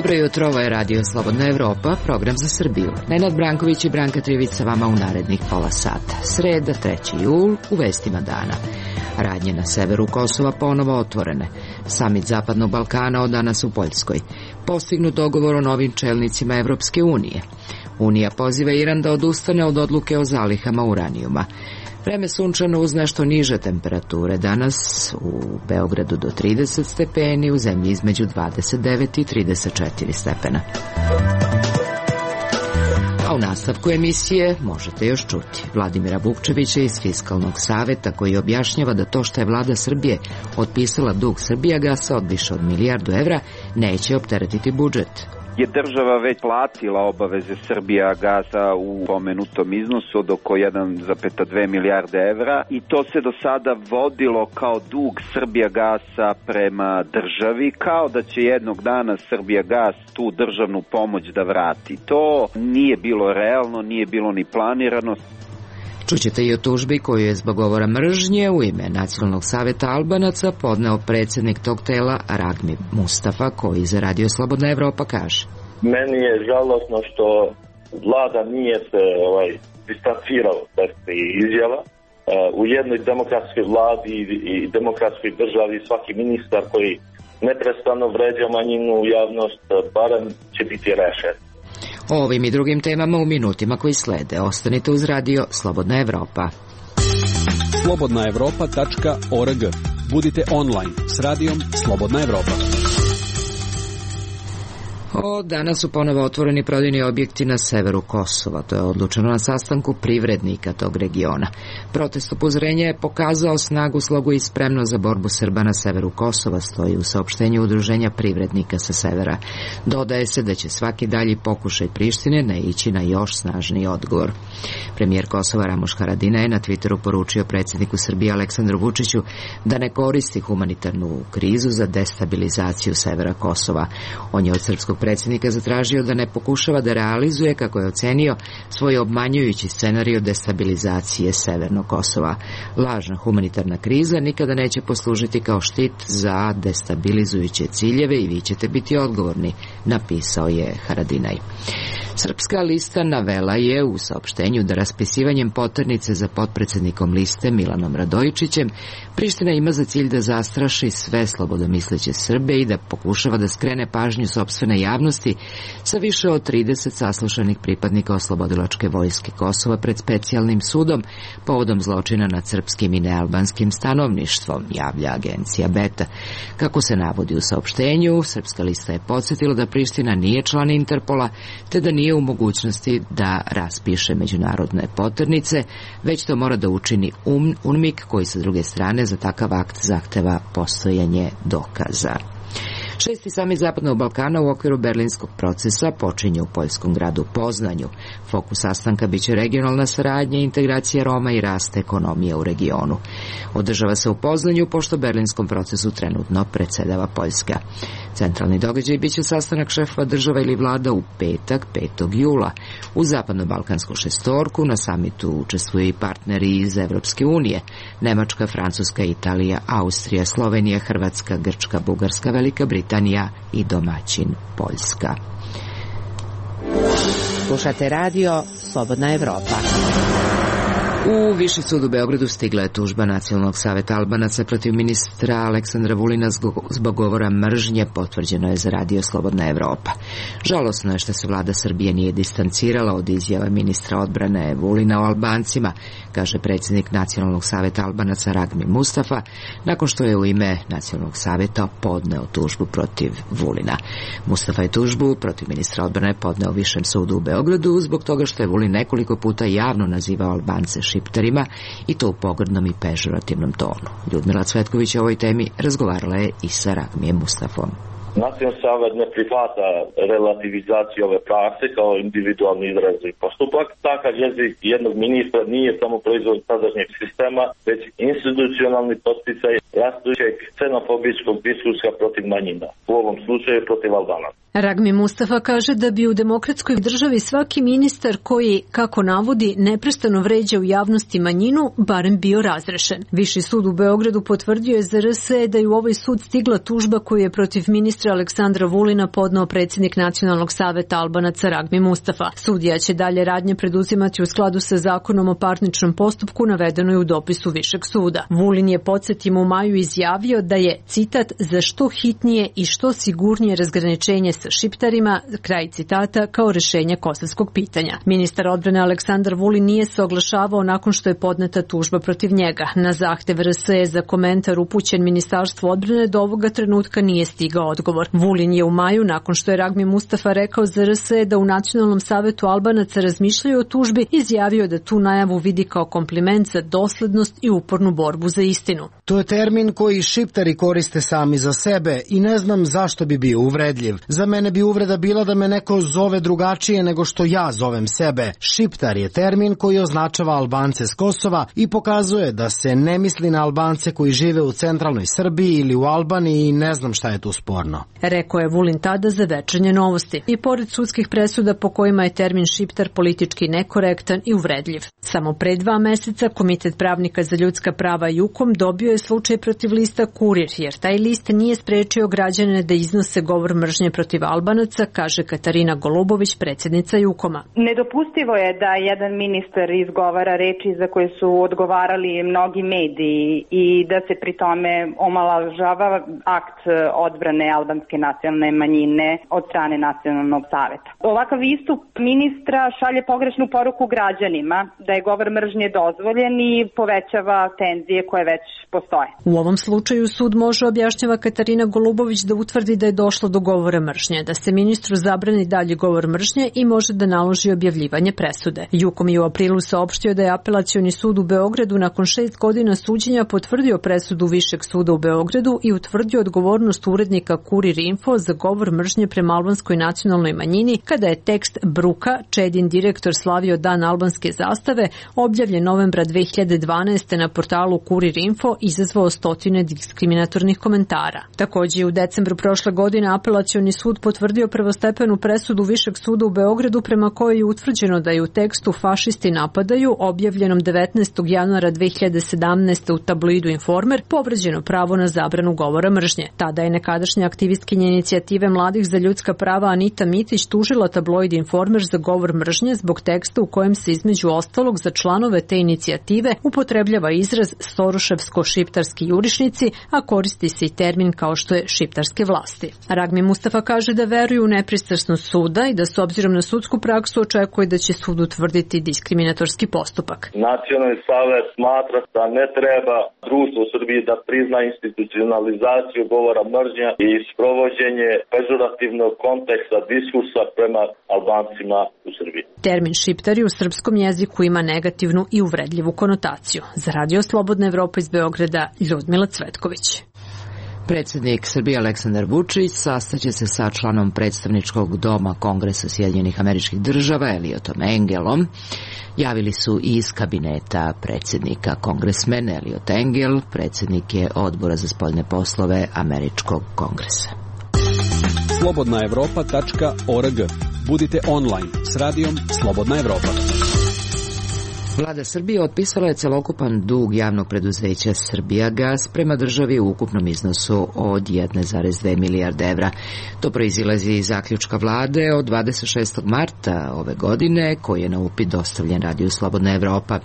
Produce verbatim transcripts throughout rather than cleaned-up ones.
Dobro jutro, ovo je Radio Slobodna Evropa, program za Srbiju. Nenad Branković i Branka Trivić sa vama u narednih pola sata. Sreda, treći jul, u vestima dana. Radnje na severu Kosova ponovo otvorene. Samit Zapadnog Balkana od danas u Poljskoj. Postignut dogovor o novim čelnicima Evropske unije. Unija poziva Iran da odustane od odluke o zalihama uranijuma. Vreme sunčano uz nešto niže temperature. Danas u Beogradu do trideset stepeni, u zemlji između dvadeset devet i trideset četiri stepena. A u nastavku emisije možete još čuti Vladimira Vukčevića iz Fiskalnog saveta, koji objašnjava da to što je vlada Srbije otpisala dug Srbijagasa od više od milijardu evra neće opteretiti budžet. Je država već platila obaveze Srbijagasa u pomenutom iznosu od oko jedan zarez dve milijarde evra i to se do sada vodilo kao dug Srbijagasa prema državi, kao da će jednog dana Srbijagas tu državnu pomoć da vrati. To nije bilo realno, nije bilo ni planirano. Čućete i o tužbi koju je zbog govora mržnje u ime Nacionalnog saveta Albanaca podneo predsjednik tog tela Ragmi Mustafa, koji za Radio Slobodna Evropa kaže: Meni je žalosno što vlada nije se ovaj, distancirala od tih izjava. U jednoj demokratskoj vladi i demokratskoj državi svaki ministar koji neprestano vređa manjinu u javnost barem će biti rešen. O ovim i drugim temama u minutima koji slede. Ostanite uz Radio Slobodna Evropa. slobodna evropa tačka org. Budite online s Radijom Slobodna Evropa. O, danas su ponovo otvoreni prodajni objekti na severu Kosova. To je odlučeno na sastanku privrednika tog regiona. Protest upozorenja je pokazao snagu, slogu i spremnost za borbu Srba na severu Kosova, stoji u saopštenju Udruženja privrednika sa severa. Dodaje se da će svaki dalji pokušaj Prištine naići na još snažniji odgovor. Premijer Kosova Ramuš Haradinaj je na Twitteru poručio predsjedniku Srbije Aleksandru Vučiću da ne koristi humanitarnu krizu za destabilizaciju severa Kosova. On je od srpskog predsjednika zatražio da ne pokušava da realizuje, kako je ocenio, svoj obmanjujući scenarij destabilizacije severnog Kosova. Lažna humanitarna kriza nikada neće poslužiti kao štit za destabilizujuće ciljeve i vi ćete biti odgovorni, napisao je Haradinaj. Srpska lista navela je u saopštenju da raspisivanjem poternice za potpredsjednikom liste Milanom Radojičićem Priština ima za cilj da zastraši sve slobodomisleće Srbe i da pokušava da skrene pažnju sopstvene javnosti sa više od trideset saslušanih pripadnika oslobodilačke vojske Kosova pred specijalnim sudom povodom zločina nad srpskim i nealbanskim stanovništvom, javlja agencija Beta. Kako se navodi u saopštenju, Srpska lista je podsjetila da Priština nije član Interpola, te da nije u mogućnosti da raspiše međunarodne poternice, već to mora da učini UNMIK, koji sa druge strane za takav akt zahteva postojanje dokaza. Šesti samit Zapadnog Balkana u okviru berlinskog procesa počinje u poljskom gradu Poznanju. Fokus sastanka biće regionalna saradnja, integracija Roma i rast ekonomije u regionu. Održava se u Poznanju pošto berlinskom procesu trenutno predsedava Poljska. Centralni događaj biće sastanak šefova država ili vlada u petak, petog jula. U zapadno-balkansku šestorku na samitu učestvuju i partneri iz Evropske unije: Nemačka, Francuska, Italija, Austrija, Slovenija, Hrvatska, Grčka, Bugarska, Velika Britanija i domaćin Poljska. Slušate Radio Slobodna Evropa. U Viši sud u Beogradu stigla je tužba Nacionalnog saveta Albanaca protiv ministra Aleksandra Vulina zbog govora mržnje, potvrđeno je za Radio Slobodna Evropa. Žalosno je što se vlada Srbije nije distancirala od izjava ministra odbrane Vulina o Albancima, kaže predsjednik Nacionalnog saveta Albanaca Ragmi Mustafa, nakon što je u ime Nacionalnog saveta podneo tužbu protiv Vulina. Mustafa je tužbu protiv ministra odbrane podneo Višem sudu u Beogradu zbog toga što je Vulin nekoliko puta javno nazivao Albance šiptarima i to u pogrdnom i pežorativnom tonu. Ljudmila Cvetković o ovoj temi razgovarala je i sa Ragmijem Mustafom. Nacionalni savet ne prihvata relativizaciju ove prakse kao individualni izraz i postupak. Takav jezik jednog ministra nije samo proizvod sadašnjeg sistema, već institucionalni podsticaj rastućeg ksenofobijskog diskursa protiv manjina, u ovom slučaju protiv Albanaca. Ragmi Mustafa kaže da bi u demokratskoj državi svaki ministar koji, kako navodi, neprestano vređa u javnosti manjinu, barem bio razrešen. Viši sud u Beogradu potvrdio je za R S da je u ovaj sud stigla tužba koju je protiv ministra Aleksandra Vulina podneo predsjednik Nacionalnog saveta Albanaca Ragmi Mustafa. Sudija će dalje radnje preduzimati u skladu sa zakonom o parničnom postupku, navedeno je u dopisu Višeg suda. Vulin je, podsjetimo, u maju izjavio da je, citat, za što hitnije i što sigurnije razgraničenje sa šiptarima, kraj citata, kao rešenje kosovskog pitanja. Ministar odbrane Aleksandar Vulin nije se oglašavao nakon što je podneta tužba protiv njega. Na zahtev R S E za komentar upućen Ministarstvu odbrane do ovoga trenutka nije stigao odgovor. Vulin je u maju, nakon što je Ragmi Mustafa rekao za R S E da u Nacionalnom savetu Albanaca razmišljaju o tužbi, izjavio da tu najavu vidi kao kompliment za doslednost i upornu borbu za istinu. To je termin koji šiptari koriste sami za sebe i ne znam zašto bi bio uvredljiv. Za mene bi uvreda bila da me neko zove drugačije nego što ja zovem sebe. Šiptar je termin koji označava Albance s Kosova i pokazuje da se ne misli na Albance koji žive u centralnoj Srbiji ili u Albaniji i ne znam šta je tu sporno. Rekao je Vulin tada za Večernje novosti. I pored sudskih presuda po kojima je termin šiptar politički nekorektan i uvredljiv. Samo pre dva meseca Komitet pravnika za ljudska prava Jukom dobio je slučaj protiv lista Kurir, jer taj list nije sprečio građane da iznose govor mržnje protiv Albanaca, kaže Katarina Golubović, predsjednica Jukoma. Nedopustivo je da jedan ministar izgovara reči za koje su odgovarali mnogi mediji i da se pri tome omalovažava akt odbrane albanske nacionalne manjine od strane Nacionalnog saveta. Ovakav istup ministra šalje pogrešnu poruku građanima da je govor mržnje dozvoljen i povećava tenzije koje već postoje. U ovom slučaju sud može, objašnjava Katarina Golubović, da utvrdi da je došlo do govora mržnje, da se ministru zabrani dalji govor mržnje i može da naloži objavljivanje presude. Jukom je u aprilu saopštio da je Apelacioni sud u Beogradu nakon šest godina suđenja potvrdio presudu Višeg suda u Beogradu i utvrdio odgovornost urednika Kurir Info za govor mržnje prema albanskoj nacionalnoj manjini kada je tekst Bruka, Čedin direktor slavio dan albanske zastave, objavljen novembra dve hiljade dvanaeste. na portalu Kurir Info, izazvao stotine diskriminatornih komentara. Takođe, u decembru prošle godine Apelacioni sud potvrdio prvostepenu presudu Višeg suda u Beogradu prema kojoj je utvrđeno da je u tekstu Fašisti napadaju, objavljenom devetnaestog januara dve hiljade sedamnaeste. u tabloidu Informer, povređeno pravo na zabranu govora mržnje. Tada je nekadašnja aktivistkinja inicijative mladih za ljudska prava Anita Mitić tužila tabloid Informer za govor mržnje zbog teksta u kojem se između ostalog za članove te inicijative upotrebljava izraz soroševsko-šiptarski jurišnici, a koristi se i termin kao što je šiptarske vlasti. Ragmi Mustafa kaže da veruju u nepristrasnost suda i da s obzirom na sudsku praksu očekuje da će sud utvrditi diskriminatorski postupak. Nacionalni savet smatra da ne treba društvo u Srbiji da prizna institucionalizaciju govora mržnja i sprovođenje pežorativnog konteksta diskursa prema Albancima u Srbiji. Termin šiptari u srpskom jeziku ima negativnu i uvredljivu konotaciju. Za Radio Slobodna Evropa iz Beograda, Ljudmila Cvetković. Predsjednik Srbije Aleksandar Vučić sastaće se sa članom predstavničkog doma Kongresa Sjedinjenih Američkih Država Elliotom Engelom. Javili su i iz kabineta predsjednika kongresmen Elliot Engel, predsjednik je Odbora za spoljne poslove Američkog kongresa. slobodna evropa tačka org. Budite online s radijom Slobodna Evropa. Vlada Srbije otpisala je celokupan dug javnog preduzeća Srbijagas prema državi u ukupnom iznosu od jedne zarez dve milijarde evra. To proizilazi iz zaključka vlade od dvadeset šestog marta ove godine, koji je na upit dostavljen Radiju Slobodna Evropa.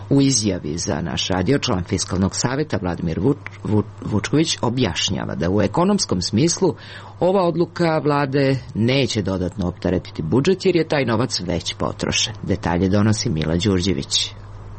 U izjavi za naš radio član Fiskalnog saveta Vladimir Vuč, Vuč, Vučković objašnjava da u ekonomskom smislu ova odluka vlade neće dodatno opteretiti budžet jer je taj novac već potrošen. Detalje donosi Mila Đurđević.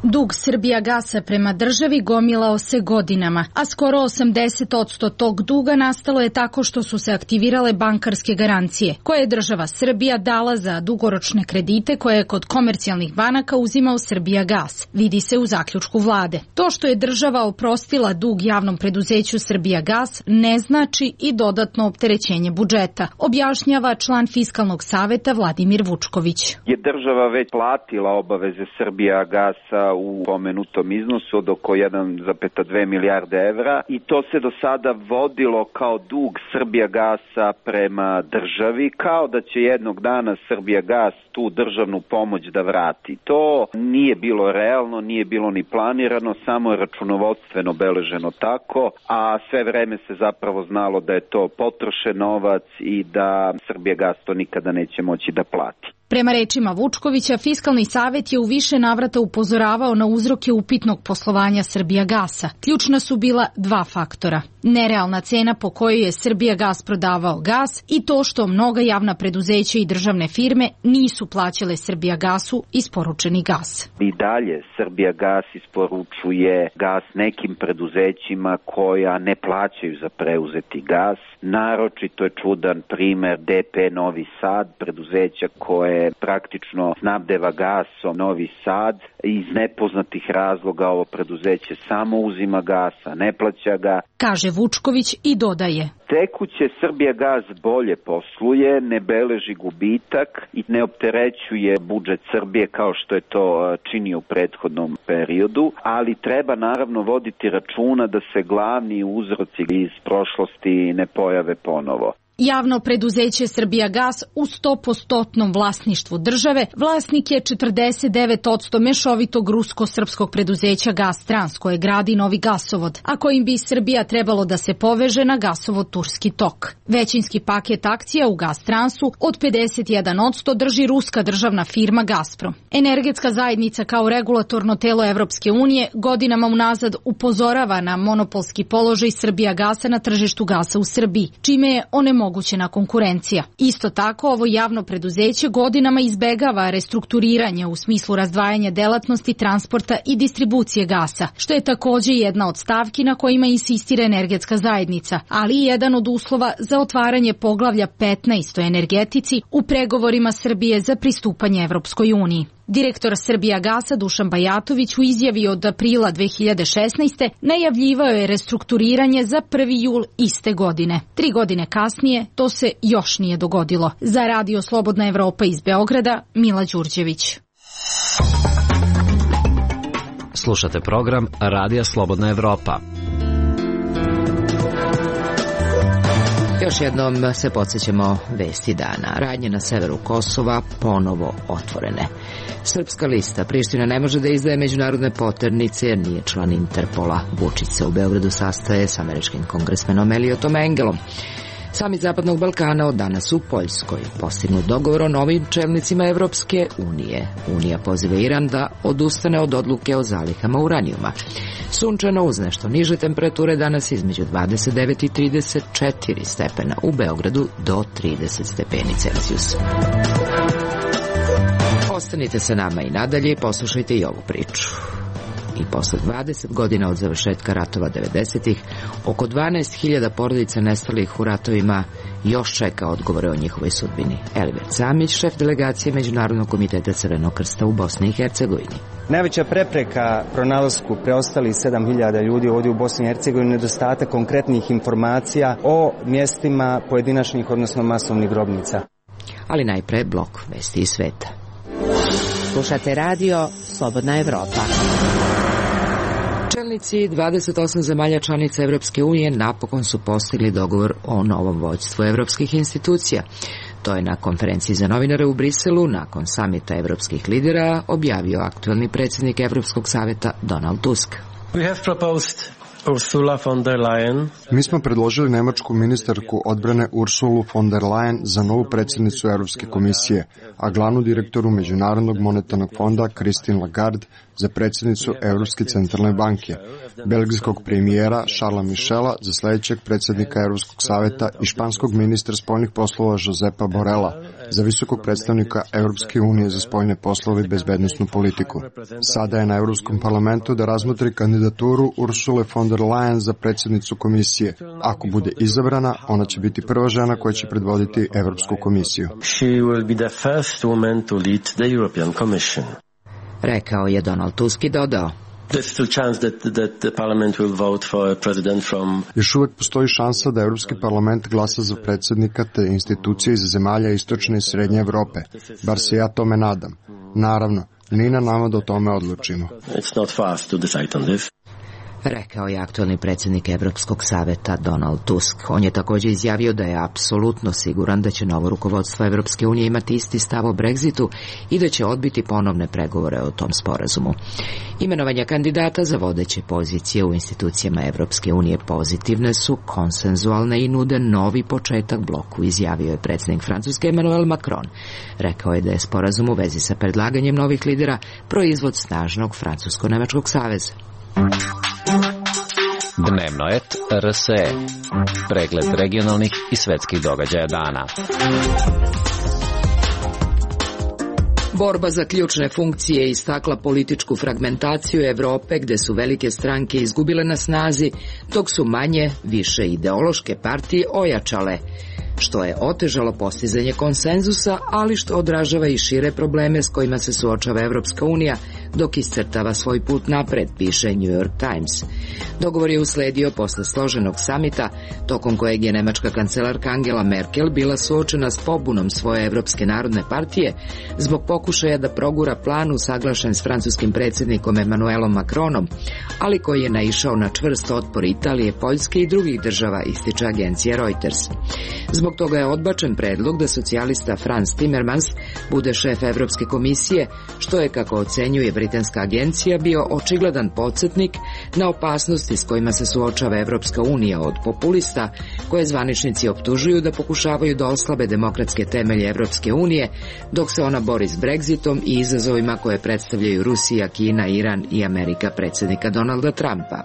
Dug Srbijagasa prema državi gomilao se godinama, a skoro osamdeset posto tog duga nastalo je tako što su se aktivirale bankarske garancije, koje je država Srbija dala za dugoročne kredite koje je kod komercijalnih banaka uzimao Srbijagas, vidi se u zaključku vlade. To što je država oprostila dug javnom preduzeću Srbijagas ne znači i dodatno opterećenje budžeta, objašnjava član Fiskalnog saveta Vladimir Vučković. Je država već platila obaveze Srbijagasa u pomenutom iznosu od oko jedan zarez dve milijarde evra i to se do sada vodilo kao dug Srbijagasa prema državi, kao da će jednog dana Srbijagas tu državnu pomoć da vrati. To nije bilo realno, nije bilo ni planirano, samo je računovodstveno beleženo tako, a sve vreme se zapravo znalo da je to potrošen novac i da Srbijagas to nikada neće moći da plati. Prema rečima Vučkovića, Fiskalni savet je u više navrata upozoravao na uzroke upitnog poslovanja Srbijagasa. Ključna su bila dva faktora. Nerealna cena po kojoj je Srbijagas prodavao gas i to što mnoga javna preduzeća i državne firme nisu plaćale Srbijagasu isporučeni gas. I dalje Srbijagas isporučuje gas nekim preduzećima koja ne plaćaju za preuzeti gas. Naročito je čudan primer D P Novi Sad, preduzeća koje praktično snabdeva gasom Novi Sad. Iz nepoznatih razloga ovo preduzeće samo uzima gasa, ne plaća ga. Kaže Vučković i dodaje. Tekuće Srbijagas bolje posluje, ne beleži gubitak i ne opterećuje budžet Srbije kao što je to činio u prethodnom periodu, ali treba naravno voditi računa da se glavni uzroci iz prošlosti ne pojave ponovo. Javno preduzeće Srbijagas u sto posto vlasništvu države vlasnik je četrdeset devet posto mešovitog rusko-srpskog preduzeća Gastrans koje gradi novi gasovod, a kojim bi Srbija trebalo da se poveže na gasovod Turski tok. Većinski paket akcija u Gastransu od pedeset jedan posto drži ruska državna firma Gazprom. Energetska zajednica kao regulatorno telo Evropske unije godinama unazad upozorava na monopolski položaj Srbijagasa na tržištu gasa u Srbiji, čime je onemogućeno mogućena konkurencija. Isto tako, ovo javno preduzeće godinama izbegava restrukturiranje u smislu razdvajanja delatnosti, transporta i distribucije gasa, što je takođe jedna od stavki na kojima insistira energetska zajednica, ali i jedan od uslova za otvaranje poglavlja petnaest o energetici u pregovorima Srbije za pristupanje Evropskoj uniji. Direktor Srbijagasa Dušan Bajatović u izjavi od aprila dve hiljade šesnaeste. najavljivao je restrukturiranje za prvi jul iste godine. Tri godine kasnije to se još nije dogodilo. Za Radio Slobodna Evropa iz Beograda, Mila Đurđević. Slušate program Radija Slobodna Evropa. Još jednom se podsjećamo vesti dana. Radnje na severu Kosova ponovo otvorene. Srpska lista Priština ne može da izdaje međunarodne poternice jer nije član Interpola. Vučić se u Beogradu sastaje s američkim kongresmenom Eliotom Engelom. Samit Zapadnog Balkana od danas u Poljskoj. Postignut dogovor o novim čelnicima Evropske unije. Unija poziva Iran da odustane od odluke o zalihama uranijuma. Sunčano uz nešto niže temperature danas između dvadeset devet i trideset četiri stepena. U Beogradu do trideset stepeni Celzijusa. Ostanite sa nama i nadalje i poslušajte i ovu priču. I posle dvadeset godina od završetka ratova devedesetih, oko dvanaest hiljada porodica nestalih u ratovima još čeka odgovore o njihovoj sudbini. Elibert Samić, šef delegacije Međunarodnog komiteta Crvenog krsta u Bosni i Hercegovini. Najveća prepreka pronalasku preostalih sedam hiljada ljudi ovdje u Bosni i Hercegovini je nedostatak konkretnih informacija o mjestima pojedinačnih, odnosno masovnih grobnica. Ali najpre blok vesti iz sveta. Slušate radio Slobodna Evropa. Čelnici dvadeset osam zemalja članica Evropske unije napokon su postigli dogovor o novom vođstvu evropskih institucija. To je na konferenciji za novinare u Briselu, nakon samita evropskih lidera, objavio aktuelni predsjednik Evropskog saveta Donald Tusk. We have proposed Ursula von der Leyen. Mi smo predložili nemačku ministarku odbrane Ursulu von der Leyen za novu predsjednicu Europske komisije, a glavnu direktoru Međunarodnog monetarnog fonda Christine Lagarde za predsjednicu Europske centralne banke, belgijskog premijera Charlesa Michela za sljedećeg predsjednika Europskog saveta i španskog ministra spoljnih poslova Josepa Borrella za visokog predstavnika Europske unije za spoljne poslove i bezbednosnu politiku. Sada je na Europskom parlamentu da razmotri kandidaturu Ursule von der Leyen za predsjednicu komisije. Ako bude izabrana, ona će biti prva žena koja će predvoditi Europsku komisiju. She will be the first woman to lead the European Commission. Rekao je Donald Tusk i dodao. Još uvijek postoji šansa da Europski parlament glasa za predsjednika te institucije iz zemalja istočne i srednje Evrope. Bar se ja tome nadam. Naravno, Nije na nama da o tome odlučimo. It's not for us to decide on this. Rekao je aktualni predsjednik Evropskog saveta Donald Tusk. On je također izjavio da je apsolutno siguran da će novo rukovodstvo Evropske unije imati isti stav o Brexitu i da će odbiti ponovne pregovore o tom sporazumu. Imenovanja kandidata za vodeće pozicije u institucijama Evropske unije pozitivne su, konsenzualne i nude novi početak bloku, izjavio je predsjednik Francuske Emmanuel Macron. Rekao je da je sporazum u vezi sa predlaganjem novih lidera proizvod snažnog Francusko-Nemačkog saveza. Dnevno et R S E. Pregled regionalnih i svetskih događaja dana. Borba za ključne funkcije istakla političku fragmentaciju Evrope, gde su velike stranke izgubile na snazi, dok su manje, više ideološke partije ojačale, što je otežalo postizanje konsenzusa, ali što odražava i šire probleme s kojima se suočava Evropska unija dok iscrtava svoj put napred, piše New York Times. Dogovor je usledio posle složenog samita, tokom kojeg je nemačka kancelarka Angela Merkel bila suočena s pobunom svoje Evropske narodne partije zbog pokušaja da progura plan usaglašen s francuskim predsjednikom Emmanuelom Macronom, ali koji je naišao na čvrst otpor Italije, Poljske i drugih država, ističe agencija Reuters. Zbog toga je odbačen predlog da socijalista Franz Timmermans bude šef Evropske komisije, što je, kako ocenjuje britanska agencija, bio očigledan podsjetnik na opasnosti s kojima se suočava Evropska unija od populista, koje zvaničnici optužuju da pokušavaju da oslabe demokratske temelje Evropske unije, dok se ona bori s Brexitom i izazovima koje predstavljaju Rusija, Kina, Iran i Amerika predsjednika Donalda Trumpa.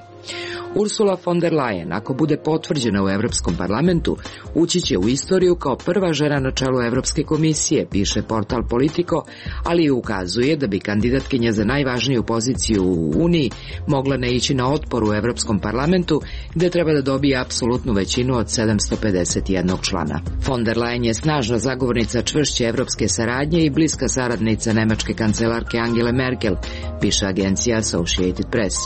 Ursula von der Leyen, ako bude potvrđena u Evropskom parlamentu, ući će u istoriju kao prva žena na čelu Evropske komisije, piše portal Politico, ali i ukazuje da bi kandidatkinja za najvažniju poziciju u Uniji mogla ne ići na otpor u Evropskom parlamentu, gde treba da dobije apsolutnu većinu od sedamsto pedeset jednog člana. Von der Leyen je snažna zagovornica čvršće evropske saradnje i bliska saradnica nemačke kancelarke Angele Merkel, piše agencija Associated Press.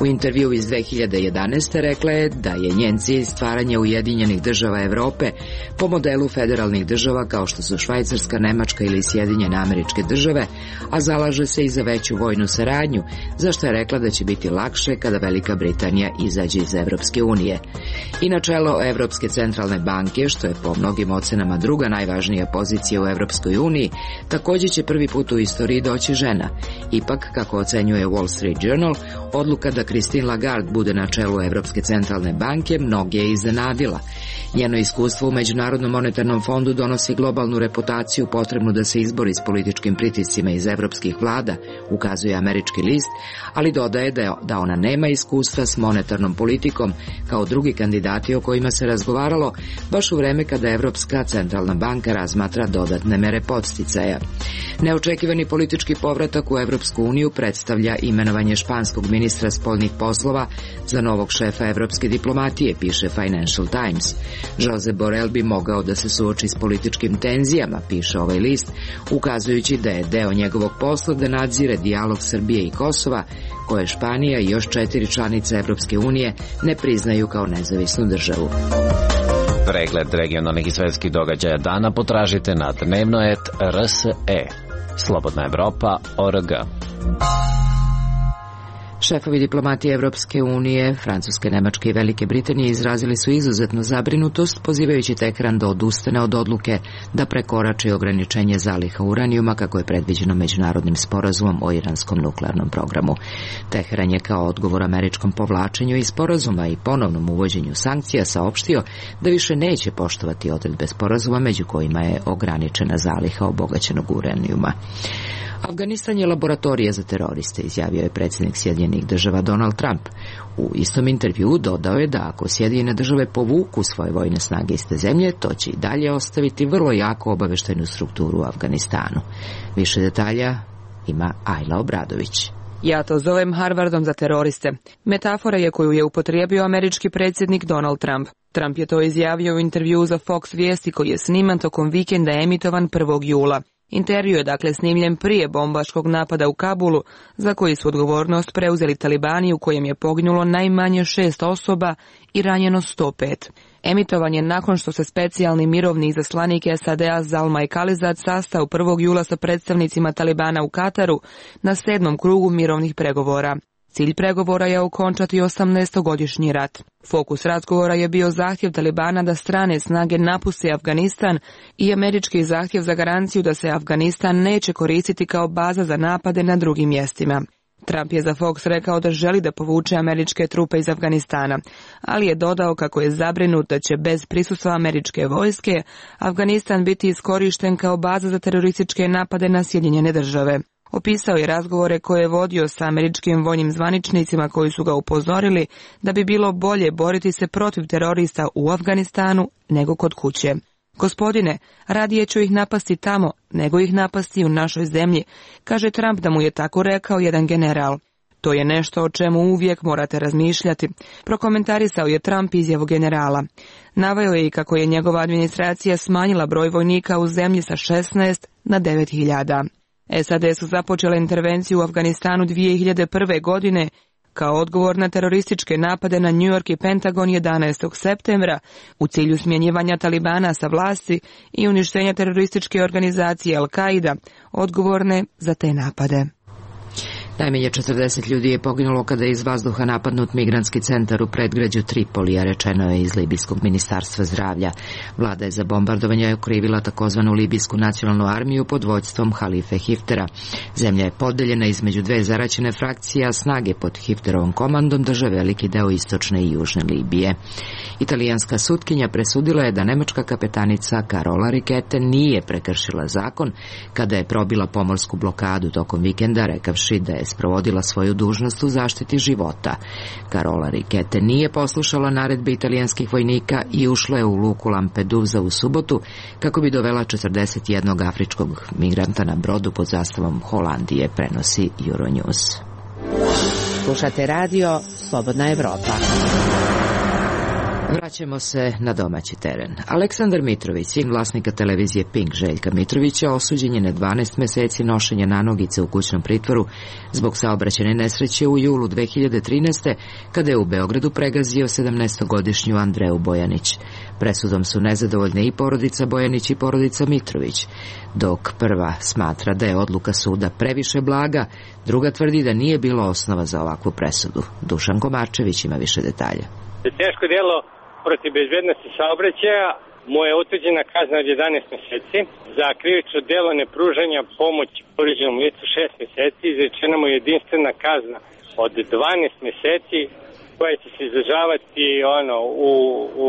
U intervju iz dve hiljade jedanaeste rekla je da je njen cilj stvaranje Ujedinjenih država Evrope po modelu federalnih država kao što su Švajcarska, Nemačka ili Sjedinjene Američke Države, a zalaže se i za veću vojnu saradnju, za što je rekla da će biti lakše kada Velika Britanija izađe iz Evropske unije. I na čelo Evropske centralne banke, što je po mnogim ocenama druga najvažnija pozicija u Evropskoj uniji, također će prvi put u istoriji doći žena. Ipak, kako ocenjuje Wall Street Journal, odluka da Christine Lagarde bude na čelu Evropske centralne banke mnoge je iznenadila. Njeno iskustvo u Međunarodnom monetarnom fondu donosi globalnu reputaciju potrebnu da se izbori s političkim pritiscima iz evropskih vlada, ukazuje američki list, ali dodaje da, je, da ona nema iskustva s monetarnom politikom kao drugi kandidati o kojima se razgovaralo baš u vreme kada Evropska centralna banka razmatra dodatne mere podsticaja. Neočekivani politički povratak u Evropsku uniju predstavlja imenovanje španskog ministra spoljnih poslova za novog šefa evropske diplomatije, piše Financial Times. Josep Borrell bi mogao da se suoči s političkim tenzijama, piše ovaj list, ukazujući da je deo njegovog posla da nadzire dijalog Srbije i Kosova, koje Španija i još četiri članice Evropske unije ne priznaju kao nezavisnu državu. Pregled regionalnih i svetskih događaja dana potražite na dnevno et R S E. Slobodna Evropa, O R G. Šefovi diplomatije Evropske unije, Francuske, Nemačke i Velike Britanije izrazili su izuzetnu zabrinutost, pozivajući Tehran da odustane od odluke da prekorači ograničenje zaliha uranijuma kako je predviđeno međunarodnim sporazumom o iranskom nuklearnom programu. Tehran je kao odgovor američkom povlačenju iz sporazuma i ponovnom uvođenju sankcija saopštio da više neće poštovati odredbe sporazuma, među kojima je ograničena zaliha obogaćenog uranijuma. Afganistan je laboratorija za teroriste, izjavio je predsjednik Sjedinjenih država Donald Trump. U istom intervjuu dodao je da ako Sjedinjene države povuku svoje vojne snage iz te zemlje, to će i dalje ostaviti vrlo jako obaveštajnu strukturu u Afganistanu. Više detalja ima Ajla Obradović. Ja to zovem Harvardom za teroriste. Metafora je koju je upotrijebio američki predsjednik Donald Trump. Trump je to izjavio u intervjuu za Fox vijesti koji je sniman tokom vikenda emitovan prvog jula. Intervju je dakle snimljen prije bombaškog napada u Kabulu, za koji su odgovornost preuzeli talibani, u kojem je poginulo najmanje šest osoba i ranjeno sto pet. Emitovan je nakon što se specijalni mirovni izaslanik S A D-a Zalmay Khalilzad sastao prvog jula sa predstavnicima Talibana u Kataru na sedmom krugu mirovnih pregovora. Cilj pregovora je okončati osamnaestogodišnji rat. Fokus razgovora je bio zahtjev Talibana da strane snage napuste Afganistan i američki zahtjev za garanciju da se Afganistan neće koristiti kao baza za napade na drugim mjestima. Trump je za Fox rekao da želi da povuče američke trupe iz Afganistana, ali je dodao kako je zabrinut da će bez prisustva američke vojske Afganistan biti iskorišten kao baza za terorističke napade na Sjedinjene države. Opisao je razgovore koje je vodio sa američkim vojnim zvaničnicima koji su ga upozorili da bi bilo bolje boriti se protiv terorista u Afganistanu nego kod kuće. Gospodine, radije ću ih napasti tamo nego ih napasti u našoj zemlji, kaže Trump da mu je tako rekao jedan general. To je nešto o čemu uvijek morate razmišljati, prokomentarisao je Trump izjavu generala. Naveo je i kako je njegova administracija smanjila broj vojnika u zemlji sa šesnaest na devet hiljada. S A D su započele intervenciju u Afganistanu dvije hiljade prve. godine kao odgovor na terorističke napade na New York i Pentagon jedanaestog septembra u cilju smjenjivanja Talibana sa vlasti i uništenja terorističke organizacije Al-Qaida, odgovorne za te napade. Najmanje četrdeset ljudi je poginulo kada je iz vazduha napadnut migrantski centar u predgrađu Tripolija, rečeno je iz Libijskog ministarstva zdravlja. Vlada je za bombardovanje okrivila takozvanu Libijsku nacionalnu armiju pod vođstvom Halife Hiftera. Zemlja je podeljena između dve zaraćene frakcije, a snage pod Hifterovom komandom drže veliki deo istočne i južne Libije. Italijanska sutkinja presudila je da nemačka kapetanica Carola Rackete nije prekršila zakon kada je probila pomorsku blokadu tokom vikenda, rekavši da je sprovodila svoju dužnost u zaštiti života. Carola Rackete nije poslušala naredbe italijanskih vojnika i ušla je u luku Lampedusa u subotu kako bi dovela četrdeset jednog afričkog migranta na brodu pod zastavom Holandije, prenosi Euronews. Slušate radio Slobodna Evropa. Vraćamo se na domaći teren. Aleksandar Mitrović, sin vlasnika televizije Pink Željka Mitrovića, osuđen je na dvanaest meseci nošenja nanogice u kućnom pritvoru zbog saobraćajne nesreće u julu dve hiljade trinaeste. kada je u Beogradu pregazio sedamnaestogodišnju Andreju Bojanić. Presudom su nezadovoljne i porodica Bojanić i porodica Mitrović. Dok prva smatra da je odluka suda previše blaga, druga tvrdi da nije bilo osnova za ovakvu presudu. Dušan Komarčević ima više detalja. Teško djelo protiv bezbednosti saobraćaja mu je utvrđena kazna od jedanaest meseci, za krivično djelo nepružanja pomoći povrijeđenom licu šest meseci, izrečena mu je jedinstvena kazna od dvanaest meseci koja će se izdržavati ono, u,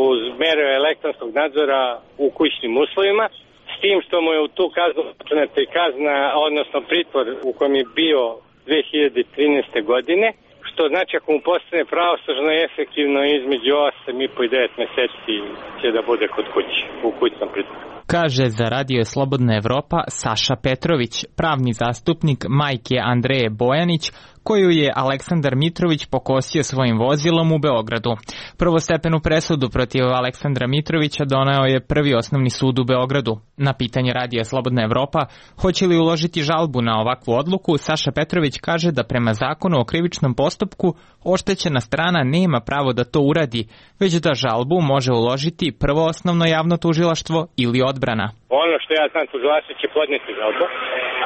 uz mere elektronskog nadzora u kućnim uslovima, s tim što mu je u tu kaznu utvrđena kazna, odnosno pritvor u kojem je bio dve hiljade trinaeste. godine, što znači ako mu postane pravosnažno i efektivno između osam i po i devet meseci će da bude kod kuće, u kućnom pritvoru. Kaže za Radio Slobodna Evropa Saša Petrović, pravni zastupnik majke Andreje Bojanić, koju je Aleksandar Mitrović pokosio svojim vozilom u Beogradu. Prvostepenu presudu protiv Aleksandra Mitrovića doneo je Prvi osnovni sud u Beogradu. Na pitanje Radija Slobodna Evropa hoće li uložiti žalbu na ovakvu odluku, Saša Petrović kaže da prema zakonu o krivičnom postupku oštećena strana nema pravo da to uradi, već da žalbu može uložiti Prvo osnovno javno tužilaštvo ili odbrana. Ono što ja znam, tužilaštvo će podneti žalbu,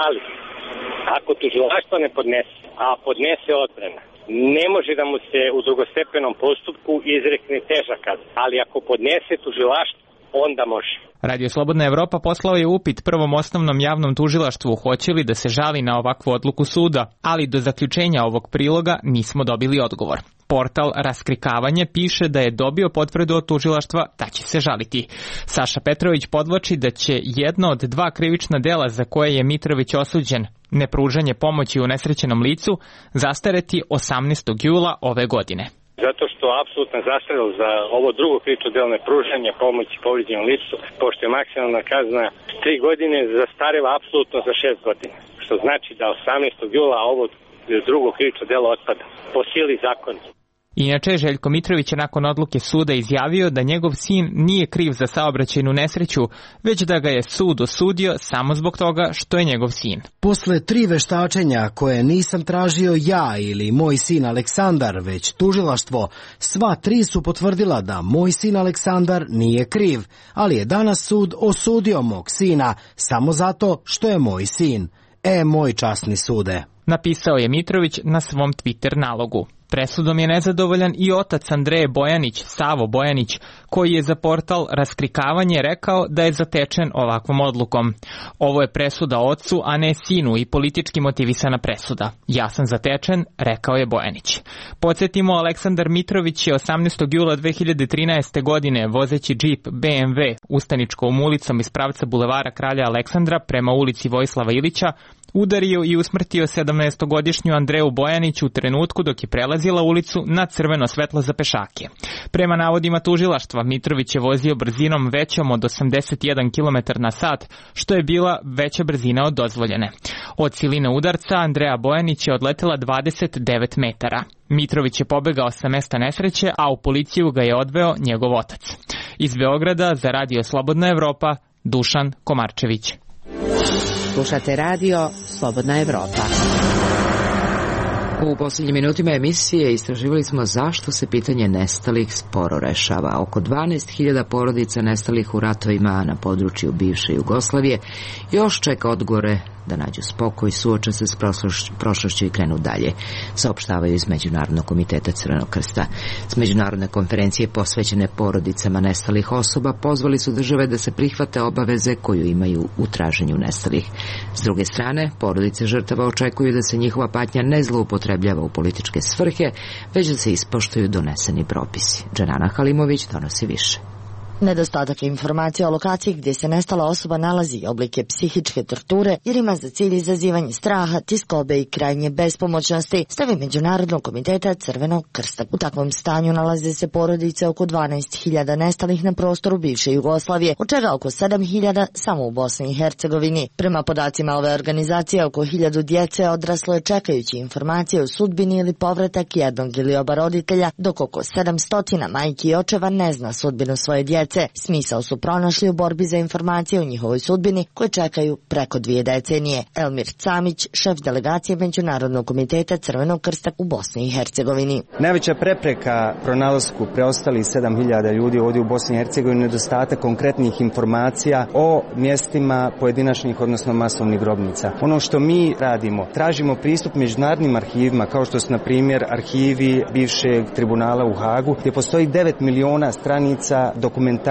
ali ako tužilaštvo ne podnese, a podnese odbrana, ne može da mu se u drugostepenom postupku izrekne teža kazna, ali ako podnese tužilaštvo, onda može. Radio Slobodna Evropa poslao je upit Prvom osnovnom javnom tužilaštvu hoće li da se žali na ovakvu odluku suda, ali do zaključenja ovog priloga nismo dobili odgovor. Portal Raskrikavanje piše da je dobio potvrdu od tužilaštva da će se žaliti. Saša Petrović podvlači da će jedno od dva krivična dela za koje je Mitrović osuđen, nepružanje pomoći unesrećenom licu, zastareti osamnaestog jula ove godine. Zato što apsolutna zastarela za ovo drugo krivično delo nepružanja pomoći povrijeđenom licu, pošto je maksimalna kazna tri godine, zastarela apsolutno za šest godina. Što znači da osamnaestog jula ovo drugo krivično delo otpada po sili zakona. Inače, Željko Mitrović je nakon odluke suda izjavio da njegov sin nije kriv za saobraćajnu nesreću, već da ga je sud osudio samo zbog toga što je njegov sin. Posle tri veštačenja koje nisam tražio ja ili moj sin Aleksandar, već tužilaštvo, sva tri su potvrdila da moj sin Aleksandar nije kriv, ali je danas sud osudio mog sina samo zato što je moj sin. E, moj časni sude. Napisao je Mitrović na svom Twitter nalogu. Presudom je nezadovoljan i otac Andreje Bojanić, Savo Bojanić, koji je za portal Raskrikavanje rekao da je zatečen ovakvom odlukom. Ovo je presuda ocu, a ne sinu i politički motivisana presuda. Ja sam zatečen, rekao je Bojanić. Podsjetimo, Aleksandar Mitrović je osamnaestog jula dve hiljade trinaeste. godine vozeći džip B M W Ustaničkom ulicom iz pravca bulevara Kralja Aleksandra prema ulici Vojislava Ilića udario i usmrtio sedamnaestogodišnju Andreju Bojanić u trenutku dok je prelazila ulicu na crveno svetlo za pešake. Prema navodima tužilaštva, Mitrović je vozio brzinom većom od osamdeset jedan kilometar na sat, što je bila veća brzina od dozvoljene. Od siline udarca Andreja Bojanić je odletela dvadeset devet metara. Mitrović je pobegao sa mesta nesreće, a u policiju ga je odveo njegov otac. Iz Beograda za Radio Slobodna Evropa, Dušan Komarčević. Slušate radio Slobodna Evropa. U posljednjim minutima emisije istraživali smo zašto se pitanje nestalih sporo rešava. Oko dvanaest hiljada porodica nestalih u ratovima na području bivše Jugoslavije još čeka odgovore da nađu spokoj, suoče se s prošlošću i krenu dalje, saopštavaju iz Međunarodnog komiteta Crvenog krsta. S međunarodne konferencije posvećene porodicama nestalih osoba pozvali su države da se prihvate obaveze koju imaju u traženju nestalih. S druge strane, porodice žrtava očekuju da se njihova patnja ne zloupotrebljava u političke svrhe, već da se ispoštuju doneseni propisi. Dženana Halimović donosi više. Nedostatak informacija o lokaciji gdje se nestala osoba nalazi i oblike psihičke torture jer ima za cilj izazivanje straha, tiskobe i krajnje bespomoćnosti, stavi Međunarodnog komiteta Crvenog krsta. U takvom stanju nalaze se porodice oko dvanaest hiljada nestalih na prostoru bivše Jugoslavije, od čega oko sedam hiljada samo u Bosni i Hercegovini. Prema podacima ove organizacije, oko hiljadu djece odraslo je čekajući informacije o sudbini ili povratak jednog ili oba roditelja, dok oko sedamsto majki i očeva ne zna sudbinu svoje djece. Smisao su pronašli u borbi za informacije o njihovoj sudbini koje čekaju preko dvije decenije. Elmir Camić, šef delegacije Međunarodnog komiteta Crvenog krsta u Bosni i Hercegovini. Najveća prepreka pronalasku preostalih sedam hiljada ljudi ovdje u Bosni i Hercegovini je nedostatak konkretnih informacija o mjestima pojedinačnih, odnosno masovnih grobnica. Ono što mi radimo, tražimo pristup međunarodnim arhivima, kao što su na primjer arhivi bivšeg tribunala u Hagu, gdje postoji devet miliona stranica dokumentacije,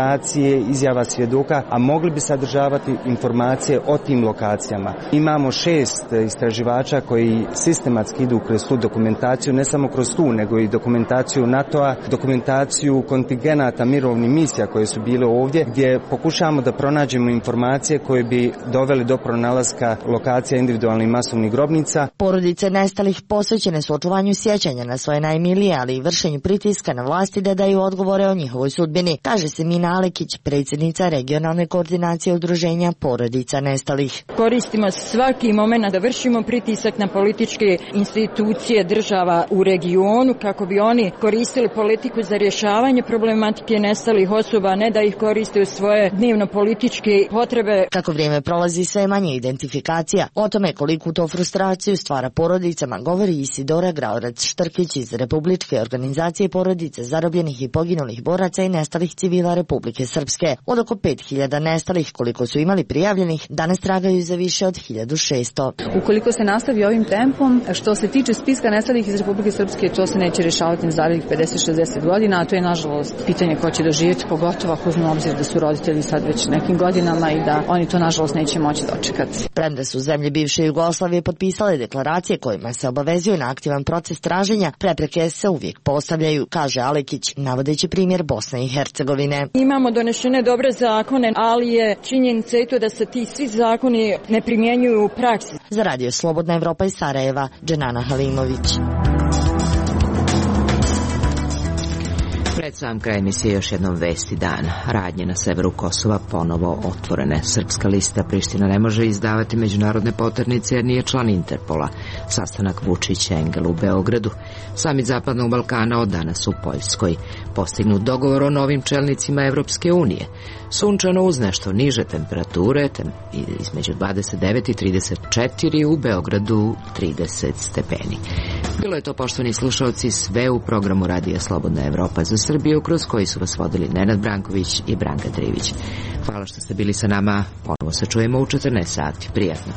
izjava svjedoka, a mogli bi sadržavati informacije o tim lokacijama. Imamo šest istraživača koji sistematski idu kroz tu dokumentaciju, ne samo kroz tu, nego i dokumentaciju NATO-a, dokumentaciju kontingenata mirovnih misija koje su bile ovdje, gdje pokušavamo da pronađemo informacije koje bi doveli do pronalaska lokacija individualnih masovnih grobnica. Porodice nestalih posvećene su očuvanju sjećanja na svoje najmilije, ali i vršenju pritiska na vlasti da daju odgovore o njihovoj sudbini, kaže se Mina Alekić, predsjednica regionalne koordinacije udruženja porodica nestalih. Koristimo svaki moment da vršimo pritisak na političke institucije država u regionu kako bi oni koristili politiku za rješavanje problematike nestalih osoba, ne da ih koriste u svoje dnevno političke potrebe. Kako vrijeme prolazi, sve manje identifikacija. O tome koliku to frustraciju stvara porodicama govori Isidora Graorac-Štrkić iz Republičke organizacije porodice zarobljenih i poginulih boraca i nestalih civila Republike Srpske. Od oko pet hiljada nestalih koliko su imali prijavljenih, danas tragaju za više od hiljadu šesto. Ukoliko se nastavi ovim tempom, što se tiče spiska nestalih iz Republike Srpske, to se neće rješavati na narednih pedeset šezdeset godina, a to je nažalost pitanje ko će doživjeti, pogotovo ako uzmemo obzir da su roditelji sad već nekim godinama i da oni to nažalost neće moći dočekati. Premda su zemlje bivše Jugoslavije potpisale deklaracije kojima se obavezuju na aktivan proces traženja, prepreke se uvijek postavljaju, kaže Alekić, navodeći primjer Bosne i Hercegovine. Imamo donešene dobre zakone, ali je činjenica i to da se ti svi zakoni ne primjenjuju u praksi. Za Radio Slobodna Evropa iz Sarajeva, Dženana Halimović. Pred sam kraj emisije još jednom vesti dana. Radnje na severu Kosova ponovo otvorene. Srpska lista Priština ne može izdavati međunarodne poternice jer nije član Interpola. Sastanak Vučić-Engel u Beogradu. Samit Zapadnog Balkana od danas u Poljskoj. Postignut dogovor o novim čelnicima Evropske unije. Sunčano uz nešto niže temperature, tem, između dvadeset devet i trideset četiri, u Beogradu trideset stepeni. Bilo je to, poštovani slušalci, sve u programu Radija Slobodna Evropa za Srbiju, kroz koji su vas vodili Nenad Branković i Branka Trivić. Hvala što ste bili sa nama. Ponovo se čujemo u četrnaest sati. Prijatno.